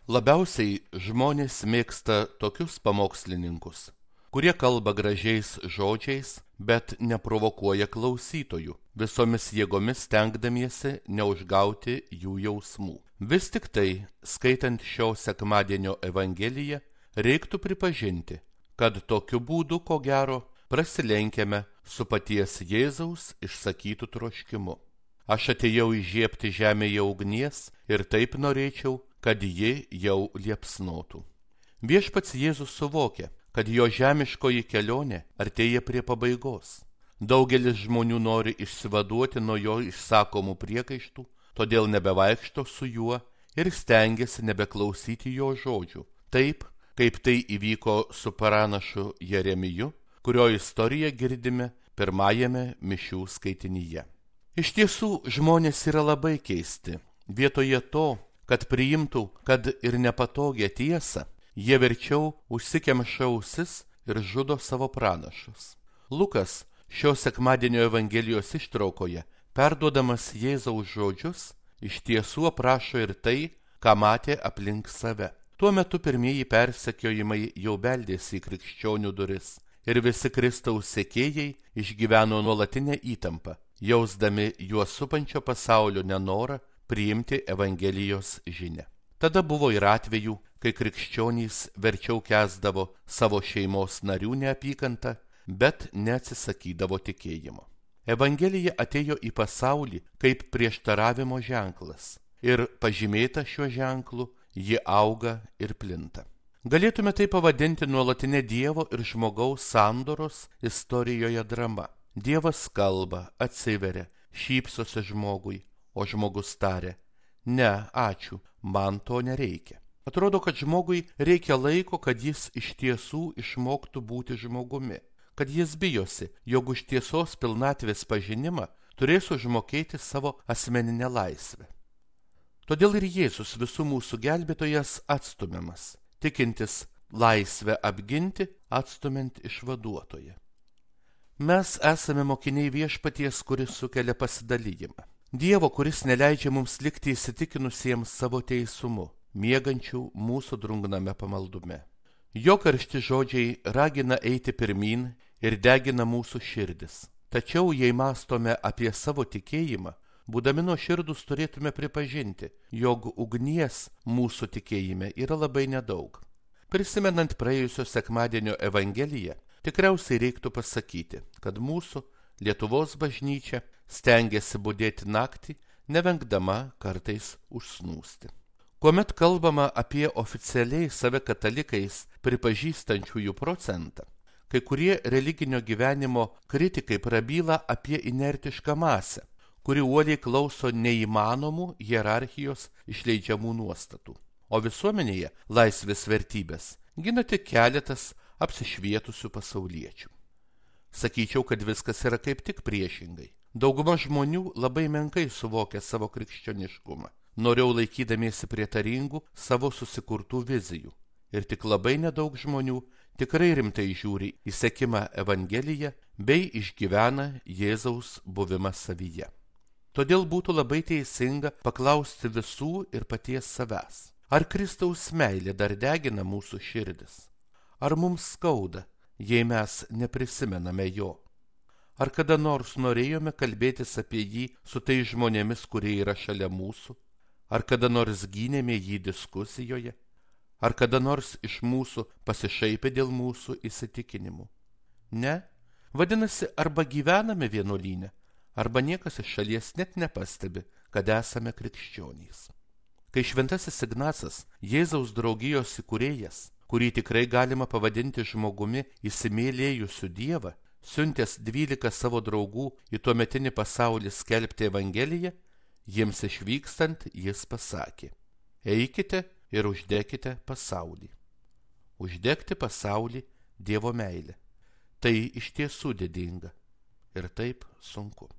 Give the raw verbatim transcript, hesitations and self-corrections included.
Labiausiai žmonės mėgsta tokius pamokslininkus, kurie kalba gražiais žodžiais, bet neprovokuoja klausytojų, visomis jėgomis stengdamiesi neužgauti jų jausmų. Vis tik tai, skaitant šio sekmadienio Evangeliją, reiktų pripažinti, kad tokiu būdu, ko gero, prasilenkiame su paties Jėzaus išsakytu troškimu. Aš atėjau įžiebti žemėje ugnies ir taip norėčiau, kad ji jau liepsnotų. Viešpats Jėzus suvokia, kad jo žemiškoji kelionė artėja prie pabaigos. Daugelis žmonių nori išsivaduoti nuo jo išsakomų priekaištų, todėl nebevaikšto su juo ir stengiasi nebeklausyti jo žodžių. Taip, kaip tai įvyko su pranašu Jeremiju, kurio istoriją girdime pirmajame mišių skaitinyje. Iš tiesų, žmonės yra labai keisti. Vietoje to, kad priimtų, kad ir nepatogią tiesą, jie verčiau užsikemša ausis ir žudo savo pranašus. Lukas šio sekmadienio Evangelijos ištraukoje, perduodamas Jėzaus žodžius, iš tiesų aprašo ir tai, ką matė aplink save. Tuo metu pirmieji persekiojimai jau beldėsi į krikščionių duris ir visi Kristaus sekėjai išgyveno nuolatinę įtampą, jausdami juos supančio pasaulio nenorą priimti Evangelijos žinią. Tada buvo ir atvejų, kai krikščionys verčiau kęsdavo savo šeimos narių neapykantą, bet neatsisakydavo tikėjimo. Evangelija atėjo į pasaulį kaip prieštaravimo ženklas ir pažymėta šiuo ženklu, ji auga ir plinta. Galėtume tai pavadinti nuolatinė Dievo ir žmogaus sandoros istorijoje drama. Dievas kalba, atsiveria, šypsosi žmogui, o žmogus taria: ne, ačiū, man to nereikia. Atrodo, kad žmogui reikia laiko, kad jis iš tiesų išmoktų būti žmogumi, kad jis bijosi, jog už tiesos pilnatvės pažinimą turės užmokėti savo asmeninę laisvę. Todėl ir Jėzus visų mūsų gelbėtojas atstumiamas, tikintis laisvę apginti, atstumiant išvaduotoją. Mes esame mokiniai viešpaties, kuris sukelia pasidalijimą. Dievo, kuris neleidžia mums likti įsitikinusiems savo teisumu, miegančių mūsų drungname pamaldume. Jo karšti žodžiai ragina eiti pirmyn ir degina mūsų širdis. Tačiau, jei mąstome apie savo tikėjimą, būdami nuoširdūs turėtume pripažinti, jog ugnies mūsų tikėjime yra labai nedaug. Prisimenant praėjusio sekmadienio Evangeliją, tikriausiai reiktų pasakyti, kad mūsų Lietuvos bažnyčia stengiasi budėti naktį, nevengdama kartais užsnūsti. Kuomet kalbama apie oficialiai save katalikais pripažįstančiųjų procentą, kai kurie religinio gyvenimo kritikai prabyla apie inertišką masę, kuri uoliai klauso neįmanomų hierarchijos išleidžiamų nuostatų. O visuomenėje laisvės vertybės gina tik keletas apsišvietusių pasauliečių. Sakyčiau, kad viskas yra kaip tik priešingai. Dauguma žmonių labai menkai suvokia savo krikščioniškumą, noriau laikydamiesi prietaringų savo susikurtų vizijų. Ir tik labai nedaug žmonių tikrai rimtai žiūri į sekimą Evangeliją bei išgyvena Jėzaus buvimą savyje. Todėl būtų labai teisinga paklausti visų ir paties savęs. Ar Kristaus meilė dar degina mūsų širdis? Ar mums skauda, jei mes neprisimename jo? Ar kada nors norėjome kalbėtis apie jį su tais žmonėmis, kurie yra šalia mūsų? Ar kada nors gynėme jį diskusijoje? Ar kada nors iš mūsų pasišaipė dėl mūsų įsitikinimų? Ne? Vadinasi, arba gyvename vienuolyne, arba niekas iš šalies net nepastebi, kad esame krikščionys. Kai šventasis Ignacas, Jėzaus draugijos įkūrėjas, kurį tikrai galima pavadinti žmogumi įsimylėjusiu Dievą, siuntęs dvylika savo draugų į tuometinį pasaulį skelbti Evangeliją, jiems išvykstant jis pasakė: eikite ir uždekite pasaulį. Uždegti pasaulį Dievo meilę. Tai iš tiesų didinga ir taip sunku.